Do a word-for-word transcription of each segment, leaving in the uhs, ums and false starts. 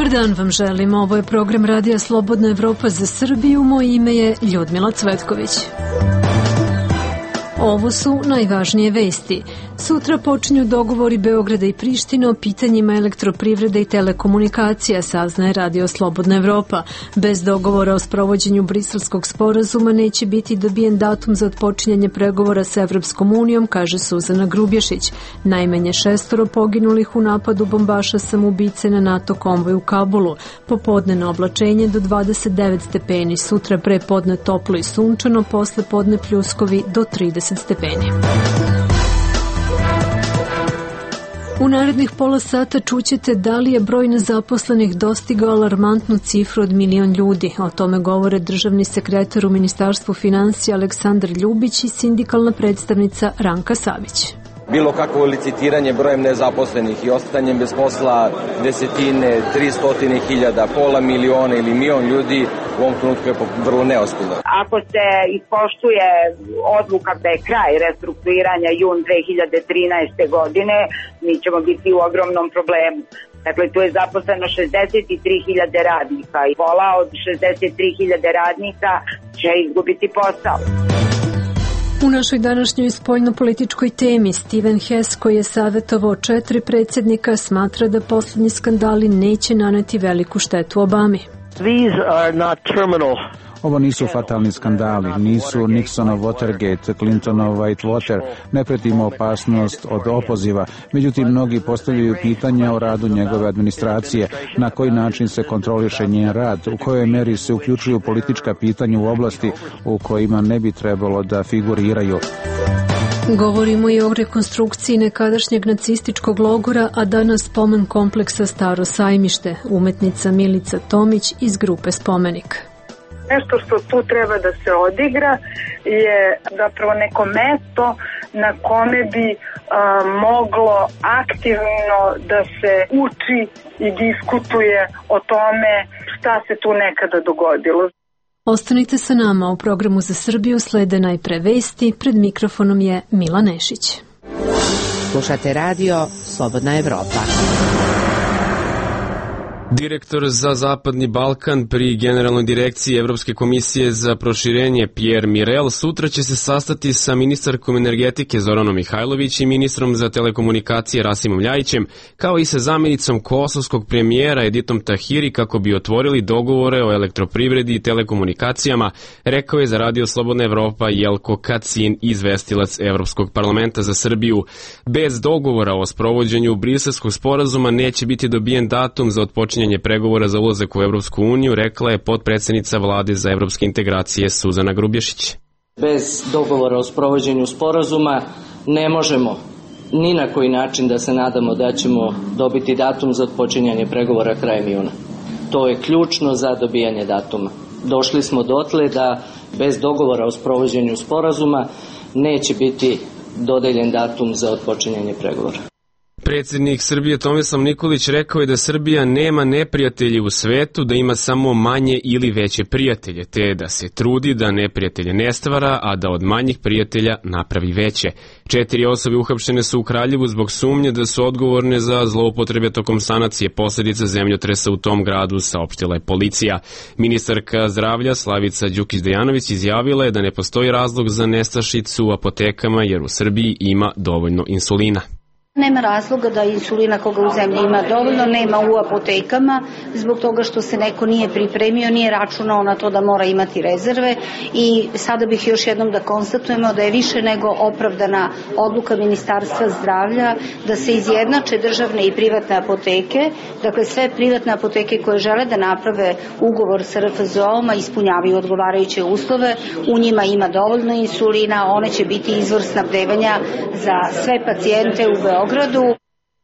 Dobar dan vam želim, ovo je program Radija Slobodna Evropa za Srbiju, moje ime je Ljudmila Cvetković. Ovo su najvažnije vesti. Sutra počinju dogovori Beograda i Prištine o pitanjima elektroprivrede i telekomunikacija, saznaje Radio Slobodna Evropa. Bez dogovora o sprovođenju Briselskog sporazuma neće biti dobijen datum za otpočinjanje pregovora sa Evropskom unijom, kaže Suzana Grubješić. Najmanje šestoro poginulih u napadu bombaša samoubice na NATO konvoj u Kabulu. Popodnevno oblačenje do dvadeset devet stepeni, sutra pre podne toplo i sunčano, posle podne pljuskovi do trideset stepeni. U narednih pola sata čućete da li je broj nezaposlenih dostigao alarmantnu cifru od milion ljudi. O tome govore državni sekretar u Ministarstvu finansija Aleksandar Ljubić i sindikalna predstavnica Ranka Savić. Bilo kakvo licitiranje brojem nezaposlenih i ostanjem bez posla desetine, tristotine hiljada, pola miliona ili milion ljudi u ovom trenutku je vrlo neozbiljno. Ako se ispoštuje odluka da je kraj restrukturiranja jun dve hiljade trinaeste. godine, mi ćemo biti u ogromnom problemu. Dakle, tu je zaposleno šezdeset tri hiljade radnika i pola od šezdeset tri hiljade radnika će izgubiti posao. U našoj današnjoj spoljnopolitičkoj temi Steven Hess, koji je savjetovao četiri predsjednika, smatra da posljednji skandali neće naneti veliku štetu Obami. These are not terminal. Ovo nisu fatalni skandali, nisu Nixonov Watergate, Clintonov Whitewater, ne pretimo opasnost od opoziva. Međutim, mnogi postavljaju pitanja o radu njegove administracije, na koji način se kontroliše njen rad, u kojoj meri se uključuju politička pitanja u oblasti u kojima ne bi trebalo da figuriraju. Govorimo i o rekonstrukciji nekadašnjeg nacističkog logora, a danas spomen kompleksa Staro sajmište, umetnica Milica Tomić iz grupe Spomenik. Nešto što tu treba da se odigra je zapravo neko mesto na kome bi a, moglo aktivno da se uči i diskutuje o tome šta se tu nekada dogodilo. Ostanite sa nama, u programu za Srbiju slede najpre vesti, pred mikrofonom je Mila Nešić. Slušate radio Slobodna Evropa. Direktor za Zapadni Balkan pri Generalnoj direkciji Evropske komisije za proširenje Pierre Mirel sutra će se sastati sa ministarkom energetike Zoranom Mihajlović i ministrom za telekomunikacije Rasimom Ljajićem, kao i sa zamjenicom kosovskog premijera Editom Tahiri kako bi otvorili dogovore o elektroprivredi i telekomunikacijama, rekao je za Radio Slobodna Evropa Jelko Kacin, izvestilac Evropskog parlamenta za Srbiju. Bez dogovora o sprovođenju Briselskog sporazuma neće biti dobijen datum za otpočinjanje pregovora za ulazak u Evropsku uniju, rekla je potpredsjednica vlade za evropske integracije Suzana Grubješić. Bez dogovora o sprovođenju sporazuma ne možemo ni na koji način da se nadamo da ćemo dobiti datum za otpočinjanje pregovora krajem juna. To je ključno za dobijanje datuma. Došli smo dotle da bez dogovora o sprovođenju sporazuma neće biti dodeljen datum za otpočinjanje pregovora. Predsjednik Srbije Tomislav Nikolić rekao je da Srbija nema neprijatelje u svetu, da ima samo manje ili veće prijatelje, te da se trudi da neprijatelje ne stvara, a da od manjih prijatelja napravi veće. Četiri osobe uhapšene su u Kraljevu zbog sumnje da su odgovorne za zloupotrebe tokom sanacije posljedica zemljotresa u tom gradu, saopštila je policija. Ministarka zdravlja Slavica Đukić-Dejanović izjavila je da ne postoji razlog za nestašicu u apotekama jer u Srbiji ima dovoljno insulina. Nema razloga da insulina koga u zemlji ima dovoljno, nema u apotekama, zbog toga što se neko nije pripremio, nije računao na to da mora imati rezerve i sada bih još jednom da konstatujemo da je više nego opravdana odluka Ministarstva zdravlja da se izjednače državne i privatne apoteke, dakle sve privatne apoteke koje žele da naprave ugovor sa R F Z O-om, ispunjavaju odgovarajuće uslove, u njima ima dovoljno insulina, one će biti izvor snabdevanja za sve pacijente u Beogradu.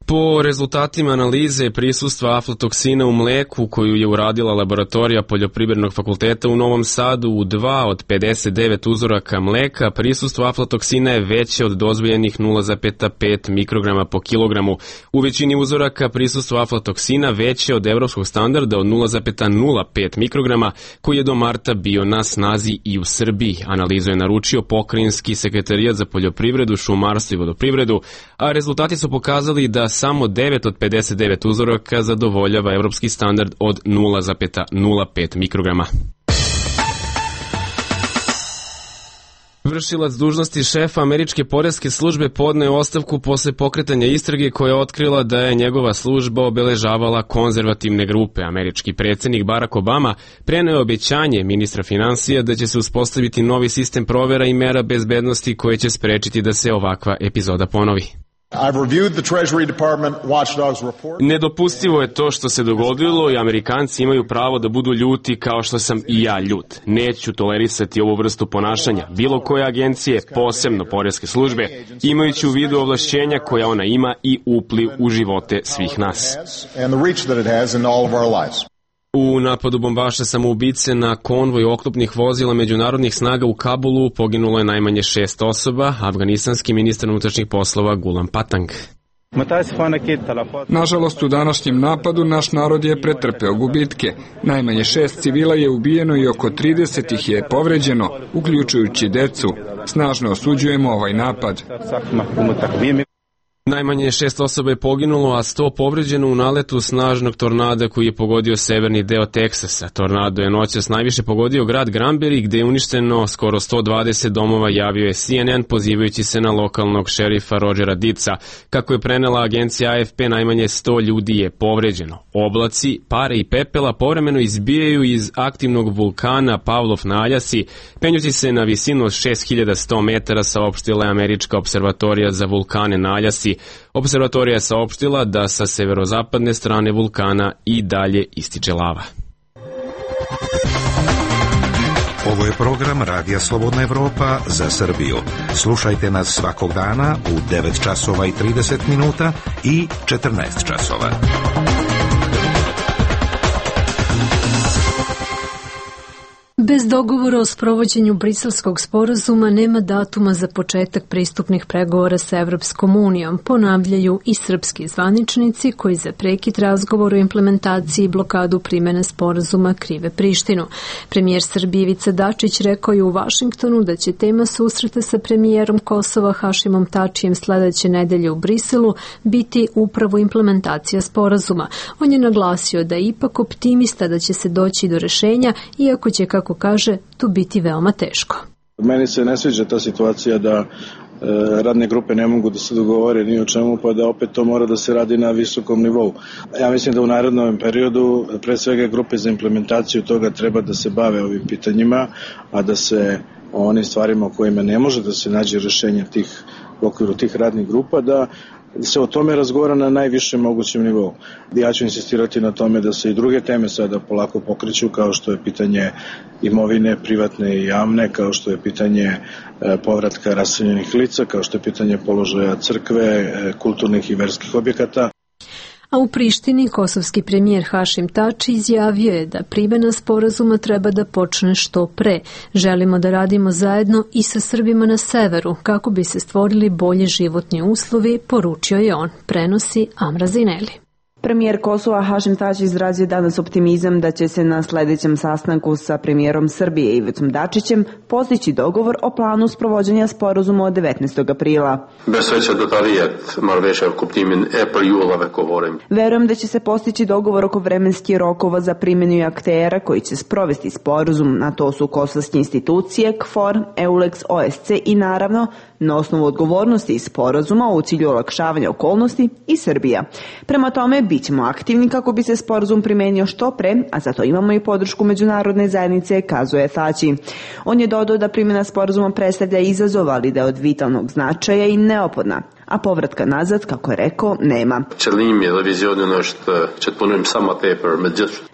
Po rezultatima analize prisustva aflatoksina u mleku koju je uradila laboratorija Poljoprivrednog fakulteta u Novom Sadu u dva od pedeset devet uzoraka mleka, prisustvo aflatoksina je veće od dozvoljenih nula zarez pet mikrograma po kilogramu. U većini uzoraka prisustvo aflatoksina veće od evropskog standarda od nula zarez nula pet mikrograma koji je do marta bio na snazi i u Srbiji. Analizu je naručio Pokrajinski sekretarijat za poljoprivredu, šumarstvo i vodoprivredu, a rezultati su pokazali da samo devet od pedeset devet uzoraka zadovoljava evropski standard od nula zarez nula pet mikrograma. Vršilac dužnosti šefa američke poreske službe podneo je ostavku posle pokretanja istrage koja je otkrila da je njegova služba obeležavala konzervativne grupe. Američki predsjednik Barack Obama preneo je obećanje ministra finansija da će se uspostaviti novi sistem provera i mera bezbednosti koje će sprečiti da se ovakva epizoda ponovi. Nedopustivo je to što se dogodilo i Amerikanci imaju pravo da budu ljuti kao što sam i ja ljut. Neću tolerisati ovu vrstu ponašanja bilo koje agencije, posebno poreske službe, imajući u vidu ovlašćenja koja ona ima i upliv u živote svih nas. U napadu bombaša samoubice na konvoj oklopnih vozila međunarodnih snaga u Kabulu poginulo je najmanje šest osoba, afganistanski ministar unutrašnjih poslova Gulam Patang. Nažalost, u današnjem napadu naš narod je pretrpeo gubitke. Najmanje šest civila je ubijeno i oko trideset ih je povređeno, uključujući decu. Snažno osuđujemo ovaj napad. Najmanje šest osoba je poginulo, a sto povređeno u naletu snažnog tornada koji je pogodio severni deo Teksasa. Tornado je noćas najviše pogodio grad Granbury, gde je uništeno skoro sto dvadeset domova, javio je C N N pozivajući se na lokalnog šerifa Rodgera Dica. Kako je prenela agencija A F P, najmanje sto ljudi je povređeno. Oblaci, pare i pepela povremeno izbijaju iz aktivnog vulkana Pavlov na Aljasi, penjući se na visinu od šest hiljada sto metara, saopštila je Američka observatorija za vulkane na Aljasi. Observatorija je saopštila da sa severozapadne strane vulkana i dalje ističe lava. Ovo je program Radija Slobodna Evropa za Srbiju. Slušajte nas svakog dana u devet časova i trideset minuta i četrnaest časova. Bez dogovora o sprovođenju Briselskog sporazuma nema datuma za početak pristupnih pregovora sa Evropskom unijom, ponavljaju i srpski zvaničnici koji za prekid razgovora o implementaciji i blokadu primene sporazuma krive Prištinu. Premijer Srbije Ivica Dačić rekao je u Vašingtonu da će tema susreta sa premijerom Kosova Hašimom Tačijem sledeće nedelje u Briselu biti upravo implementacija sporazuma. On je naglasio da je ipak optimista da će se doći do rešenja, iako će, kako kaže, tu biti veoma teško. Meni se ne sviđa ta situacija da e, radne grupe ne mogu da se dogovore ni o čemu, pa da opet to mora da se radi na visokom nivou. Ja mislim da u narednom periodu pre svega grupe za implementaciju toga treba da se bave ovim pitanjima, a da se o onim stvarima o kojima ne može da se nađe rešenje tih, u okviru tih radnih grupa, da se o tome razgovara na najvišem mogućem nivou. Ja ću insistirati na tome da se i druge teme sada polako pokreću, kao što je pitanje imovine, privatne i javne, kao što je pitanje povratka raseljenih lica, kao što je pitanje položaja crkve, kulturnih i verskih objekata. A u Prištini kosovski premijer Hašim Tači izjavio je da primena sporazuma treba da počne što pre. Želimo da radimo zajedno i sa Srbima na severu kako bi se stvorili bolji životni uslovi, poručio je on, prenosi Amra Zineli. Premijer Kosova Hašim Tači izrazio danas optimizam da će se na sledećem sastanku sa premijerom Srbije Ivicom Dačićem postići dogovor o planu sprovođenja sporazuma od devetnaestog aprila. Verujem da će se postići dogovor oko vremenskih rokova za primjenu aktera koji će sprovesti sporazum, na to su kosovske institucije, K F O R, EULEX, O S C i naravno na osnovu odgovornosti iz sporazuma u cilju olakšavanja okolnosti i Srbija. Prema tome, bit ćemo aktivni kako bi se sporazum primenio što pre, a zato imamo i podršku međunarodne zajednice, kazuje Tači. On je dodao da primjena sporazuma predstavlja izazov, ali da je od vitalnog značaja i neophodna, a povratka nazad, kako je rekao, nema.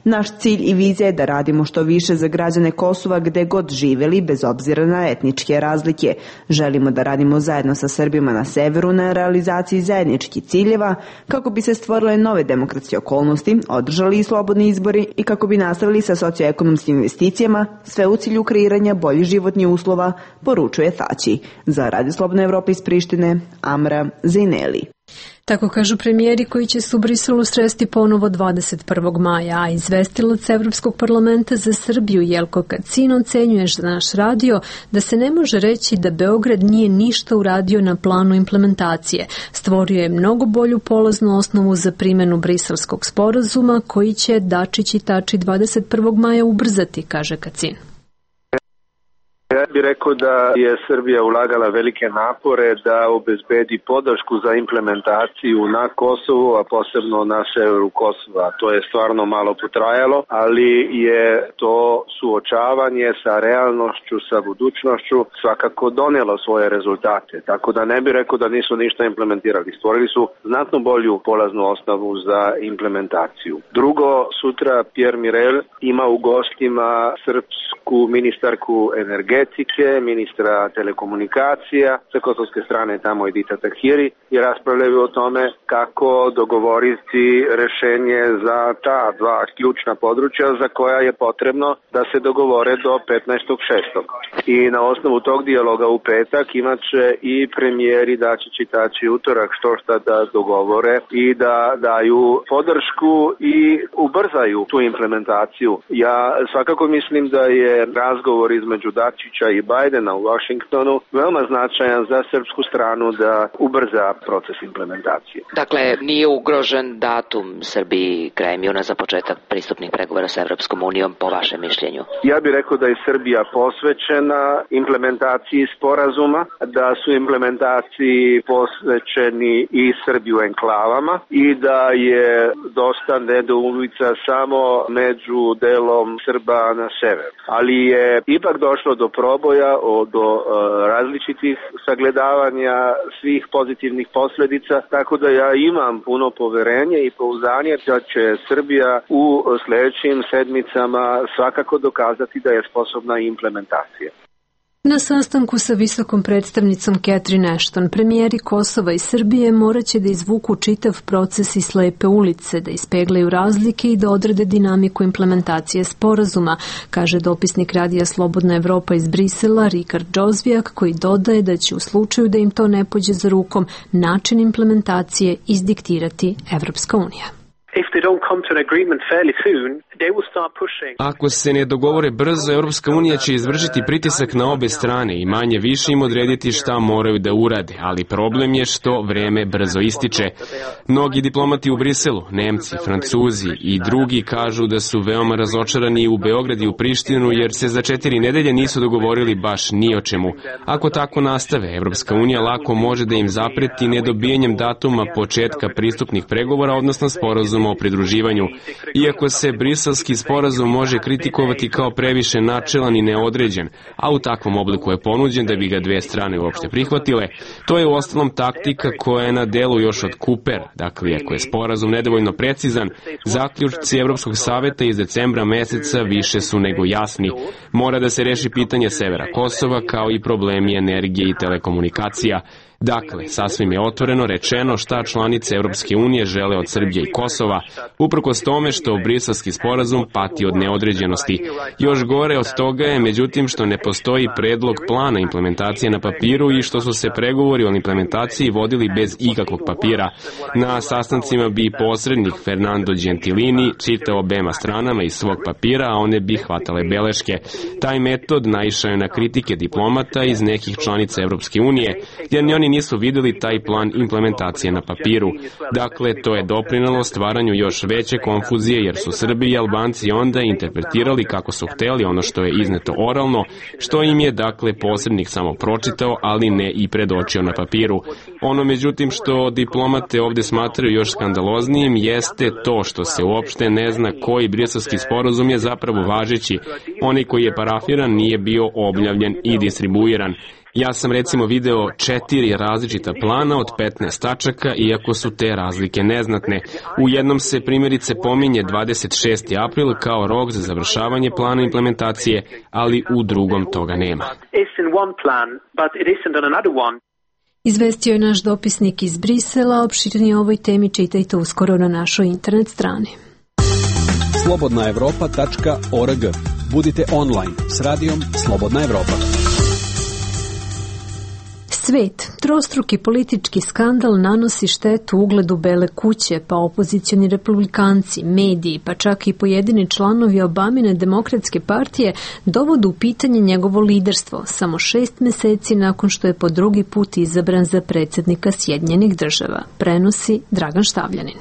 Naš cilj i vizija je da radimo što više za građane Kosova gde god živeli, bez obzira na etničke razlike. Želimo da radimo zajedno sa Srbima na severu na realizaciji zajedničkih ciljeva, kako bi se stvorile nove demokratske okolnosti, održali i slobodni izbori i kako bi nastavili sa socioekonomskim investicijama, sve u cilju kreiranja boljih životnih uslova, poručuje Tači. Za Radio Slobodna Evropa iz Prištine, Amra Zineli. Tako kažu premijeri koji će se u Briselu sresti ponovo dvadeset prvog maja, a izvestilac Evropskog parlamenta za Srbiju Jelko Kacin ocenjuje za naš radio da se ne može reći da Beograd nije ništa uradio na planu implementacije. Stvorio je mnogo bolju polaznu osnovu za primjenu briselskog sporazuma koji će Dačić i Tači dvadeset prvog maja ubrzati, kaže Kacin. Ja bih rekao da je Srbija ulagala velike napore da obezbedi podršku za implementaciju na Kosovu, a posebno na severu Kosova. To je stvarno malo potrajalo, ali je to suočavanje sa realnošću, sa budućnošću svakako donijelo svoje rezultate. Tako da ne bih rekao da nisu ništa implementirali. Stvorili su znatno bolju polaznu osnovu za implementaciju. Drugo, sutra Pierre Mirel ima u gostima srpsku ministarku energetike, ministra telekomunikacija, sa kosovske strane tamo Edita Tahiri i raspravljaju o tome kako dogovoriti rešenje za ta dva ključna područja za koja je potrebno da se dogovore do petnaestog šestog I na osnovu tog dijaloga u petak imaće i premijeri Dačić i Tači utorak što šta da dogovore i da daju podršku i ubrzaju tu implementaciju. Ja svakako mislim da je razgovor između Dačića i Bajdena u Washingtonu veoma značajan za srpsku stranu da ubrza proces implementacije. Dakle, nije ugrožen datum Srbiji krajem juna za početak pristupnih pregovora sa Evropskom unijom, po vašem mišljenju? Ja bih rekao da je Srbija posvećena implementaciji sporazuma, da su implementaciji posvećeni i Srbi u enklavama i da je dosta nedoumica samo među delom Srba na severu. Ali je ipak došlo do proboja, do uh, različitih sagledavanja svih pozitivnih posljedica, tako da ja imam puno poverenje i pouzdanje da će Srbija u sljedećim sedmicama svakako dokazati da je sposobna implementacije. Na sastanku sa visokom predstavnicom Catherine Ashton, premijeri Kosova i Srbije moraće da izvuku čitav proces iz slepe ulice, da ispeglaju razlike i da odrede dinamiku implementacije sporazuma, kaže dopisnik Radija Slobodna Evropa iz Brisela Rikard Džozvijak, koji dodaje da će u slučaju da im to ne pođe za rukom način implementacije izdiktirati Evropska unija. Ako se ne dogovore brzo, Europska unija će izvršiti pritisak na obe strane i manje više im odrediti šta moraju da urade, ali problem je što vreme brzo ističe. Mnogi diplomati u Briselu, Nemci, Francuzi i drugi kažu da su veoma razočarani u Beograd i u Prištinu jer se za četiri nedelje nisu dogovorili baš ni o čemu. Ako tako nastave, Europska unija lako može da im zapreti nedobijanjem datuma početka pristupnih pregovora, odnosno sporazuma o pridruživanju. Iako se briselski sporazum može kritikovati kao previše načelan i neodređen, a u takvom obliku je ponuđen da bi ga dve strane uopšte prihvatile, to je uostalom taktika koja je na delu još od Kuper. Dakle, ako je sporazum nedovoljno precizan, zaključci Evropskog saveta iz decembra meseca više su nego jasni. Mora da se reši pitanje severa Kosova kao i problemi energije i telekomunikacija. Dakle, sasvim je otvoreno rečeno šta članice Europske unije žele od Srbije i Kosova, uprkos tome što briselski sporazum pati od neodređenosti. Još gore od toga je, međutim, što ne postoji predlog plana implementacije na papiru i što su se pregovori o implementaciji vodili bez ikakvog papira. Na sastancima bi posrednik Fernando Gentilini čitao obema stranama iz svog papira, a one bi hvatale beleške. Taj metod naišao je na kritike diplomata iz nekih članica Europske unije, jer ni oni nisu vidjeli taj plan implementacije na papiru. Dakle, to je doprinelo stvaranju još veće konfuzije jer su Srbi i Albanci onda interpretirali kako su hteli ono što je izneto oralno, što im je dakle posrednik samo pročitao, ali ne i predočio na papiru. Ono međutim što diplomate ovdje smatraju još skandaloznijim jeste to što se uopšte ne zna koji briselski sporazum je zapravo važeći. Onaj koji je parafiran nije bio objavljen i distribuiran. Ja sam recimo video četiri različita plana od petnaest tačaka, iako su te razlike neznatne. U jednom se primjerice pominje dvadeset šesti april kao rok za završavanje plana implementacije, ali u drugom toga nema. Izvestio je naš dopisnik iz Brisela, opširnije o ovoj temi čitajte uskoro na našoj internet strani. slobodna evropa tačka org. Budite online s radijom Slobodna Evropa. Svet, trostruki politički skandal nanosi štetu ugledu Bele kuće, pa opozicioni republikanci, mediji, pa čak i pojedini članovi Obamine demokratske partije dovode u pitanje njegovo liderstvo, samo šest meseci nakon što je po drugi put izabran za predsjednika Sjedinjenih država, prenosi Dragan Štavljanin.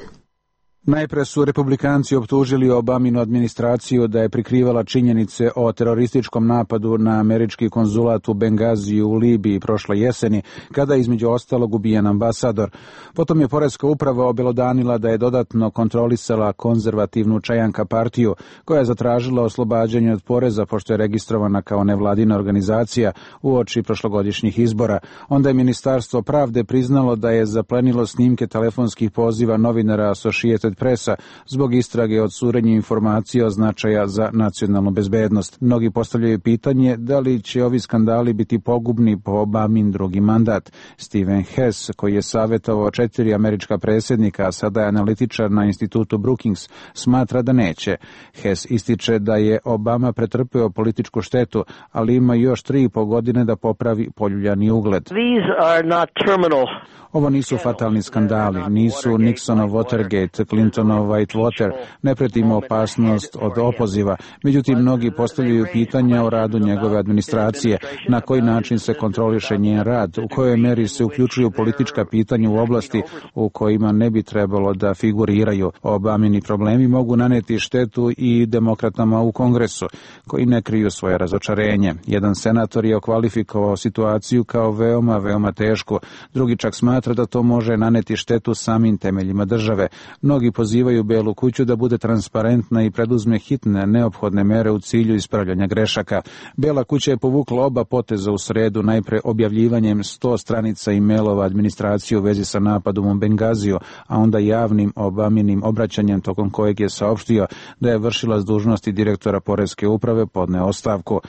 Najpre su republikanci optužili Obaminu administraciju da je prikrivala činjenice o terorističkom napadu na američki konzulat u Bengaziju u Libiji prošle jeseni, kada je između ostalog ubijen ambasador. Potom je poreska uprava obelodanila da je dodatno kontrolisala konzervativnu Čajanka partiju, koja je zatražila oslobađanje od poreza pošto je registrovana kao nevladina organizacija uoči prošlogodišnjih izbora. Onda je Ministarstvo pravde priznalo da je zaplenilo snimke telefonskih poziva novinara Associated Pressa zbog istrage od curenja informacija o značaja za nacionalnu bezbednost. Mnogi postavljaju pitanje da li će ovi skandali biti pogubni po Obamin drugi mandat. Steven Hess, koji je savjetovao četiri američka predsjednika, a sada je analitičar na institutu Brookings, smatra da neće. Hess ističe da je Obama pretrpeo političku štetu, ali ima još tri i po godine da popravi poljuljani ugled. These are not terminal. Ovo nisu fatalni skandali, nisu Nixonov Watergate, Clintonov Whitewater, ne pretimo opasnost od opoziva. Međutim, mnogi postavljaju pitanja o radu njegove administracije, na koji način se kontroliše njen rad, u kojoj meri se uključuju politička pitanja u oblasti u kojima ne bi trebalo da figuriraju. Obamini problemi mogu naneti štetu i demokratama u Kongresu, koji ne kriju svoje razočarenje. Jedan senator je okvalifikovao situaciju kao veoma, veoma tešku, drugi čak smatra da to može naneti štetu samim temeljima države. Mnogi pozivaju Belu kuću da bude transparentna i preduzme hitne, neophodne mere u cilju ispravljanja grešaka. Bela kuća je povukla oba poteza u sredu, najpre objavljivanjem sto stranica e-mailova administracije u vezi sa napadom u Bengaziju, a onda javnim Obaminim obraćanjem tokom kojeg je saopštio da je vršilac dužnosti direktora poreske uprave podneo ostavku.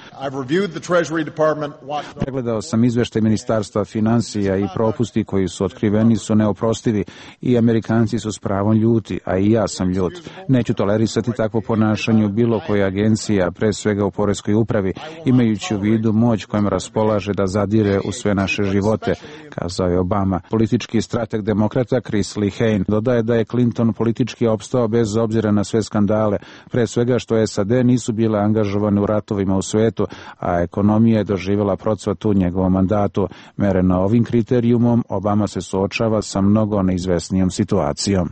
Pregledao sam izveštaj Ministarstva finansija i propusti koji su otkriveni su neoprostivi i Amerikanci su s pravom ljuti, a i ja sam ljut. Neću tolerisati takvo ponašanje u bilo koje agencija, pre svega u poreskoj upravi, imajući u vidu moć kojom raspolaže da zadire u sve naše živote, kazao je Obama. Politički strateg demokrata Chris Lehane dodaje da je Clinton politički opstao bez obzira na sve skandale, pre svega što S A D nisu bile angažovane u ratovima u svetu, a ekonomija je doživjela procvat u njegovom mandatu. Mereno ovim kriterijumom, Obama se suočava sa mnogo neizvesnijom situacijom.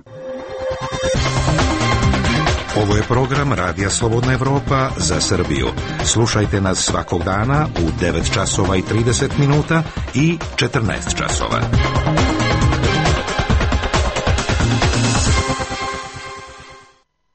Ovo je program Radija Slobodna Evropa za Srbiju. Slušajte nas svakog dana u devet časova i trideset minuta i četrnaest časova.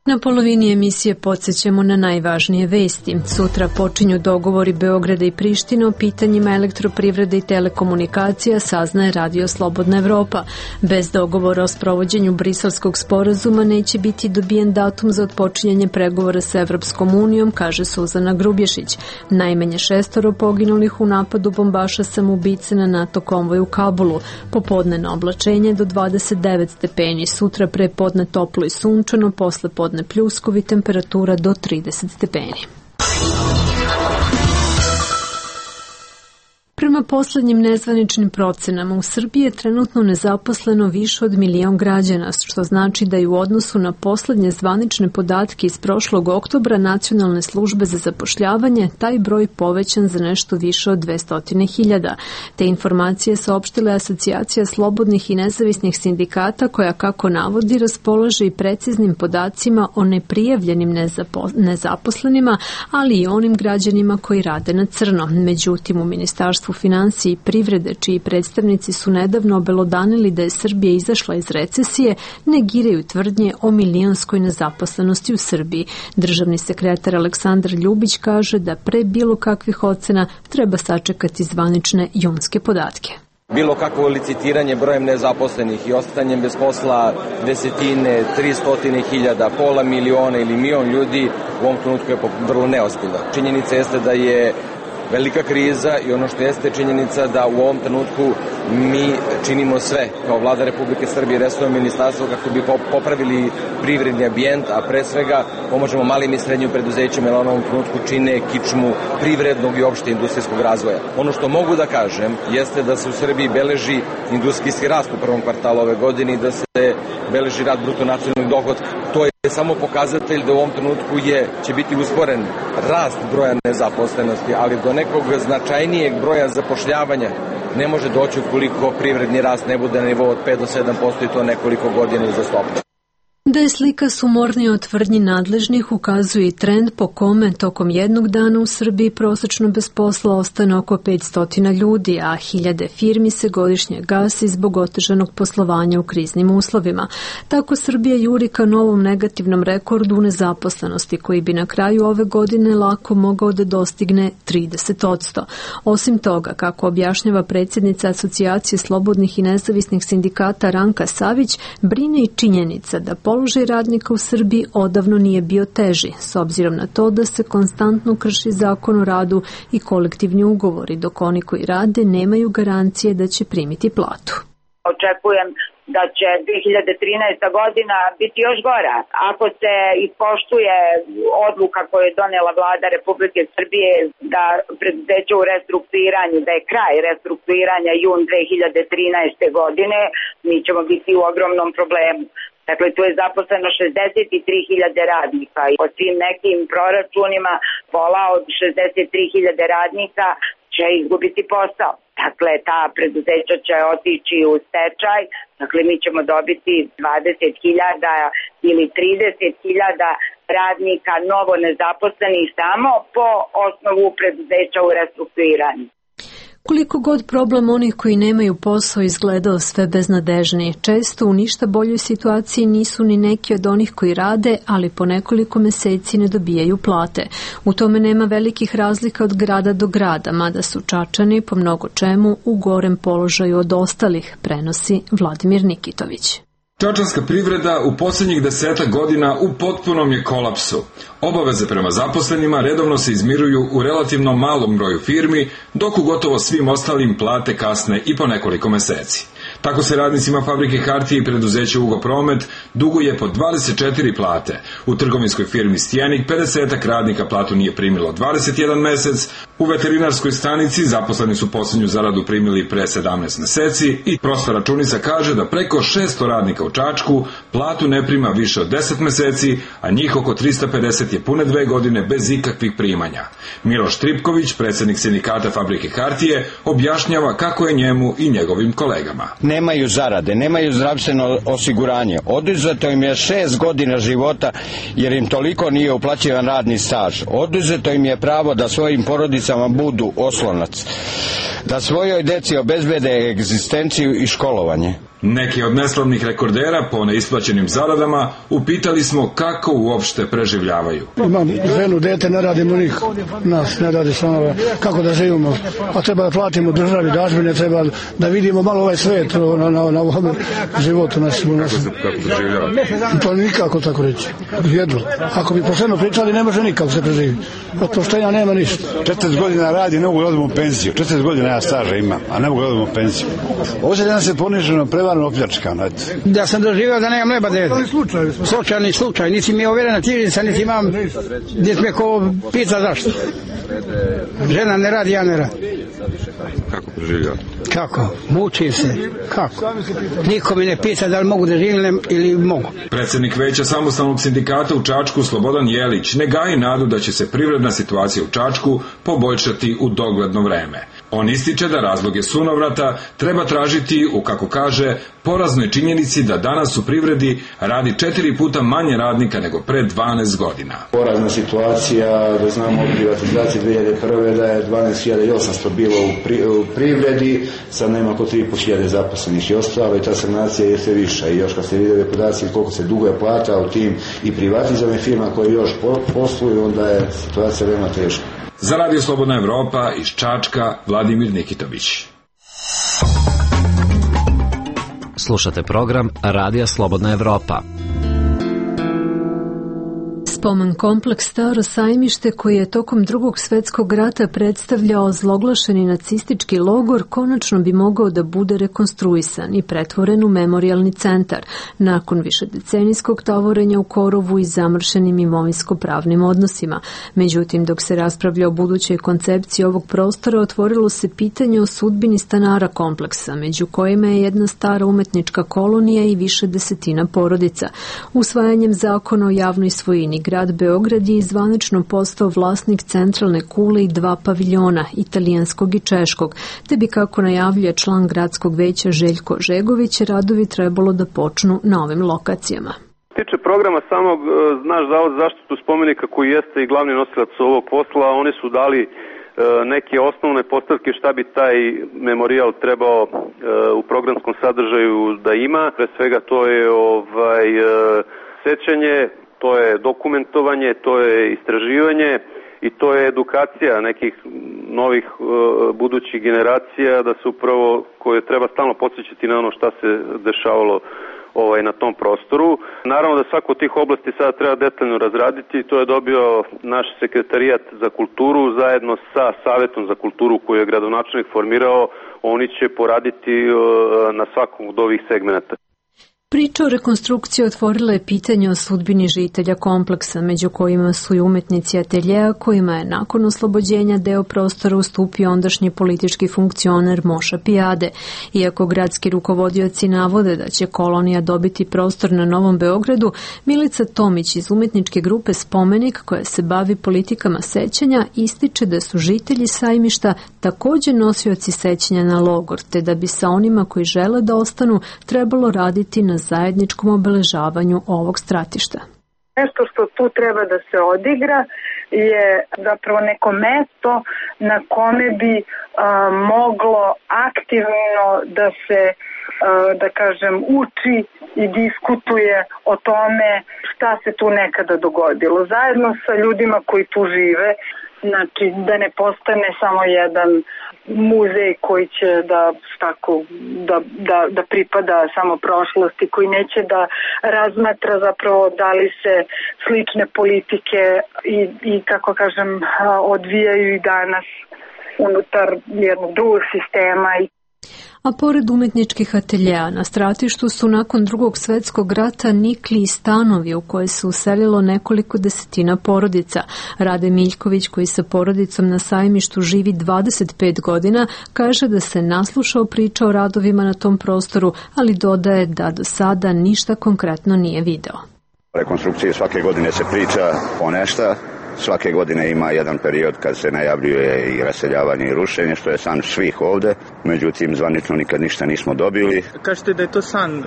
Na polovini emisije podsjećamo na najvažnije vesti. Sutra počinju dogovori Beograda i Prištine o pitanjima elektroprivrede i telekomunikacija, saznaje Radio Slobodna Evropa. Bez dogovora o sprovođenju Briselskog sporazuma neće biti dobijen datum za otpočinjanje pregovora sa Evropskom unijom, kaže Suzana Grubješić. Najmanje šestoro poginulih u napadu bombaša samoubice na NATO konvoj u Kabulu. Popodnevno oblačenje do dvadeset devet stepeni, sutra prepodne toplo i sunčano, posle podne pljuskovi, temperatura do trideset stepeni. Prema poslednjim nezvaničnim procenama, u Srbiji je trenutno nezaposleno više od milion građana, što znači da je u odnosu na poslednje zvanične podatke iz prošlog oktobra Nacionalne službe za zapošljavanje taj broj povećan za nešto više od dvesta hiljada. Te informacije saopštila je Asocijacija slobodnih i nezavisnih sindikata, koja, kako navodi, raspolaže i preciznim podacima o neprijavljenim nezapo- nezaposlenima, ali i onim građanima koji rade na crno. Međutim, u Ministarstvu finansije i privrede, čiji predstavnici su nedavno obelodanili da je Srbija izašla iz recesije, negiraju tvrdnje o milionskoj nezaposlenosti u Srbiji. Državni sekretar Aleksandar Ljubić kaže da pre bilo kakvih ocena treba sačekati zvanične junske podatke. Bilo kakvo licitiranje brojem nezaposlenih i ostanjem bez posla desetine, tristotine hiljada, pola miliona ili milion ljudi u ovom trenutku je vrlo neozbiljno. Činjenica jeste da je velika kriza i ono što jeste činjenica da u ovom trenutku mi činimo sve kao vlada Republike Srbije i resorno ministarstvo kako bi popravili privredni ambijent, a pre svega pomožemo malim i srednjim preduzećima, jer u ovom trenutku čine kičmu privrednog i opšte industrijskog razvoja. Ono što mogu da kažem jeste da se u Srbiji beleži industrijski rast u prvom kvartalu ove godine i da se beleži rast bruto nacionalnog dohotka. To je samo pokazatelj da u ovom trenutku je, će biti usporen rast broja nezaposlenosti, ali do nekog značajnijeg broja zapošljavanja ne može doći ukoliko privredni rast ne bude na nivou od pet do sedam posto i to nekoliko godina uzastopno. Da je slika sumornija od tvrdnji nadležnih ukazuje i trend po kome tokom jednog dana u Srbiji prosečno bez posla ostane oko petsto ljudi, a hiljade firmi se godišnje gasi zbog otežanog poslovanja u kriznim uslovima. Tako Srbija juri ka novom negativnom rekordu u nezaposlenosti koji bi na kraju ove godine lako mogao da dostigne trideset posto. Osim toga, kako objašnjava predsjednica Asocijacije slobodnih i nezavisnih sindikata Ranka Savić, brine i činjenica da položaj radnika u Srbiji odavno nije bio teži, s obzirom na to da se konstantno krši zakon o radu i kolektivni ugovori, dok oni koji rade nemaju garancije da će primiti platu. Očekujem da će dve hiljade trinaesta godina biti još gora. Ako se ispoštuje odluka koju je donela vlada Republike Srbije da preduzeće u restrukturiranju, da je kraj restrukturiranja jun dve hiljade trinaeste godine, mi ćemo biti u ogromnom problemu. Dakle, tu je zaposleno šezdeset tri hiljade radnika i po svim nekim proračunima pola od šezdeset tri hiljade radnika će izgubiti posao. Dakle, ta preduzeća će otići u stečaj, dakle mi ćemo dobiti dvadeset hiljada ili trideset hiljada radnika novo nezaposlenih samo po osnovu preduzeća u restrukturiranju. Koliko god problem onih koji nemaju posao izgledao sve beznadežniji, često u ništa boljoj situaciji nisu ni neki od onih koji rade, ali po nekoliko meseci ne dobijaju plate. U tome nema velikih razlika od grada do grada, mada su Čačani po mnogo čemu u gorem položaju od ostalih, prenosi Vladimir Nikitović. Čačanska privreda u posljednjih desetak godina u potpunom je kolapsu. Obaveze prema zaposlenima redovno se izmiruju u relativno malom broju firmi, dok u gotovo svim ostalim plate kasne i po nekoliko meseci. Tako se radnicima fabrike hartije i preduzeća Jugopromet duguje po dvadeset četiri plate. U trgovinskoj firmi Stjenik pedeset radnika platu nije primilo dvadeset jedan mesec, u veterinarskoj stanici zaposleni su posljednju zaradu primili pre sedamnaest meseci i prosta računica kaže da preko šesto radnika u Čačku platu ne prima više od deset meseci, a njih oko trista pedeset je pune dve godine bez ikakvih primanja. Miloš Tripković, predsjednik sindikata fabrike hartije, objašnjava kako je njemu i njegovim kolegama. Nemaju zarade, nemaju zdravstveno osiguranje. Oduzeto im je šest godina života jer im toliko nije uplaćivan radni staž. Oduzeto im je pravo da svojim porodicama budu oslonac, da svojoj deci obezbede egzistenciju i školovanje. Neki od neslavnih rekordera po neisplaćenim zaradama upitali smo kako uopšte preživljavaju. Imam ženu, dete, ne radimo nikako. Nas ne radi stanova. Kako da živimo? Pa treba da platimo državi dažbine, treba da vidimo malo ovaj svet na, na, na ovom životu našem. Kako preživljavate? Pa nikako tako reći. Jedno. Ako bi pošteno pričali, ne može nikako se preživiti. Od poštenja nema ništa. četrdeset godina radi, ne mogu da odemo penziju. četrdeset godina ja staža imam, a ne mogu da odemo penziju. Ovo se danas je poniženo preva opljačkan. Da sam doživio da nemam leba dete. Slučajni slučaj. Nisi mi je overena knjižica, niti imam, niti me ko pita zašto. Žena ne radi, ja ne radi. Kako preživljava? Kako? Mučim se. Kako? Niko mi ne pita da li mogu da živim ili mogu. Predsjednik veća samostalnog sindikata u Čačku Slobodan Jelić ne gaji nadu da će se privredna situacija u Čačku poboljšati u dogledno vreme. On ističe da razloge sunovrata treba tražiti u, kako kaže, poraznoj činjenici da danas u privredi radi četiri puta manje radnika nego pre dvanaest godina. Porazna situacija, da znamo od privatizacije dve hiljade prve da je dvanaest hiljada osamsto bilo u, pri, u privredi, sad nema oko tri i po hiljade zaposlenih i ostalo i ta stagnacija je sve viša. I još kad se vide podaci koliko se duguje plata u tim i privatizovanim firma koje još posluju, onda je situacija veoma teška. Za Radio Slobodna Evropa iz Čačka, Vladimir Nikitović. Slušate program Radija Slobodna Evropa. Spomen kompleks Staro sajmište, koji je tokom drugog svetskog rata predstavljao zloglašeni nacistički logor, konačno bi mogao da bude rekonstruisan i pretvoren u memorijalni centar, nakon višedecenijskog tavorenja u korovu i zamršenim imovinsko-pravnim odnosima. Međutim, dok se raspravlja o budućoj koncepciji ovog prostora, otvorilo se pitanje o sudbini stanara kompleksa, među kojima je jedna stara umetnička kolonija i više desetina porodica. Usvajanjem zakona o javnoj svojini, grad Beograd je zvanično postao vlasnik centralne kule i dva paviljona, italijanskog i češkog, te bi, kako najavljuje član gradskog veća Željko Žegović, radovi trebalo da počnu na ovim lokacijama. Tiče programa samog, naš Zavod za zaštitu spomenika, koji jeste i glavni nosilac ovog posla, oni su dali neke osnovne postavke šta bi taj memorijal trebao u programskom sadržaju da ima. Pre svega to je ovaj sećanje, to je dokumentovanje, to je istraživanje i to je edukacija nekih novih uh, budućih generacija, da se upravo, koje treba stalno podsjećati na ono šta se dešavalo ovaj, na tom prostoru. Naravno da svaku od tih oblasti sada treba detaljno razraditi, to je dobio naš sekretarijat za kulturu zajedno sa Savetom za kulturu koju je gradonačelnik formirao. Oni će poraditi uh, na svakom od ovih segmenata. Priča o rekonstrukciji otvorila je pitanje o sudbini žitelja kompleksa, među kojima su i umetnici ateljeja, kojima je nakon oslobođenja deo prostora ustupio ondašnji politički funkcioner Moša Pijade. Iako gradski rukovodioci navode da će kolonija dobiti prostor na Novom Beogradu, Milica Tomić iz umetničke grupe Spomenik, koja se bavi politikama sećanja, ističe da su žitelji sajmišta također nosioci sećanja na logor, te da bi sa onima koji žele da ostanu trebalo raditi na zajedničkom obeležavanju ovog stratišta. Nešto što tu treba da se odigra je zapravo neko mesto na kome bi a, moglo aktivno da se, a, da kažem, uči i diskutuje o tome šta se tu nekada dogodilo. Zajedno sa ljudima koji tu žive, znači da ne postane samo jedan muzej koji će da, tako, da, da, da pripada samo prošlosti, koji neće da razmatra zapravo da li se slične politike i, i kako kažem, odvijaju i danas unutar jednog drugog sistema. A pored umetničkih ateljeja, na stratištu su nakon drugog svetskog rata nikli i stanovi u koje se uselilo nekoliko desetina porodica. Rade Miljković, koji sa porodicom na sajmištu živi dvadeset pet godina, kaže da se naslušao priča o radovima na tom prostoru, ali dodaje da do sada ništa konkretno nije video. Rekonstrukcije svake godine se priča o nešto. Svake godine ima jedan period kad se najavljuje i raseljavanje i rušenje, što je san svih ovde, međutim zvanično nikad ništa nismo dobili. Kažete da je to san uh,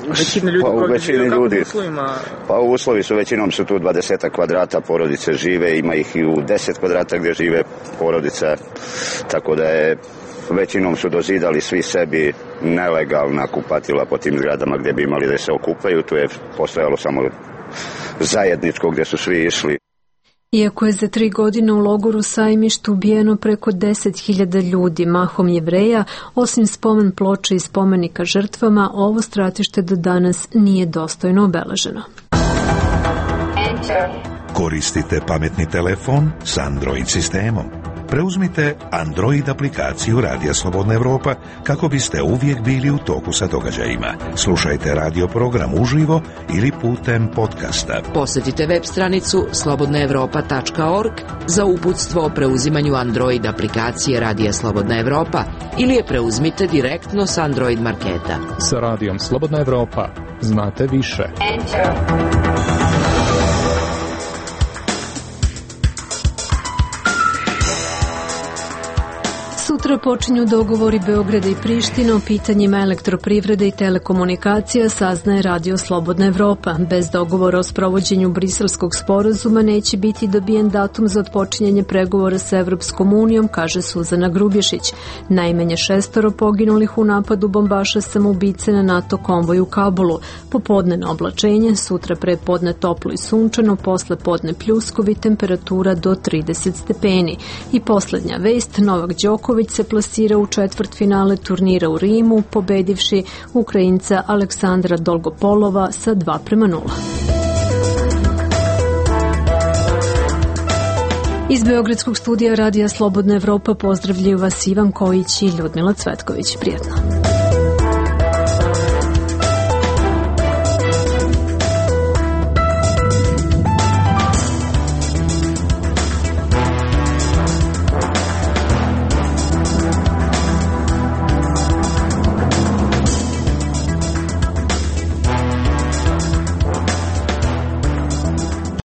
većine ljudi pa, koji žive u kakvim uslovima? Pa u uslovi su, većinom su tu dvadeset kvadrata porodice žive, ima ih i u deset kvadrata gdje žive porodica, tako da je većinom su dozidali svi sebi nelegalna kupatila po tim zgradama gdje bi imali da se okupaju, tu je postojalo samo zajedničko gdje su svi išli. Iako je za tri godine u logoru Sajmištu ubijeno preko deset hiljada ljudi, mahom Jevreja, osim spomen ploče i spomenika žrtvama, ovo stratište do danas nije dostojno obeleženo. Koristite pametni telefon s Android sistemom. Preuzmite Android aplikaciju Radija Slobodna Evropa kako biste uvijek bili u toku sa događajima. Slušajte radio program uživo ili putem podcasta. Posjetite web stranicu slobodna evropa tačka org za uputstvo o preuzimanju Android aplikacije Radija Slobodna Evropa ili je preuzmite direktno s Android marketa. Sa Radijom Slobodna Evropa znate više. Enter. Sutra počinju dogovori Beograda i Prištine o pitanjima elektroprivrede i telekomunikacija, saznaje Radio Slobodna Evropa. Bez dogovora o sprovođenju briselskog sporazuma neće biti dobijen datum za otpočinjanje pregovora sa Evropskom unijom, kaže Suzana Grubješić. Najmanje šestoro poginulih u napadu bombaša samoubice na NATO konvoj u Kabulu. Popodne oblačenje, sutra prepodne toplo i sunčano, posle podne pljuskovi, temperatura do trideset stepeni. I poslednja vest, Novak Đoković se plasira u četvrtfinale turnira u Rimu, pobedivši Ukrajinca Aleksandra Dolgopolova sa dva prema nula. Iz Beogradskog studija Radija Slobodna Evropa pozdravljaju vas Ivan Kojić i Ljudmila Cvetković. Prijetno.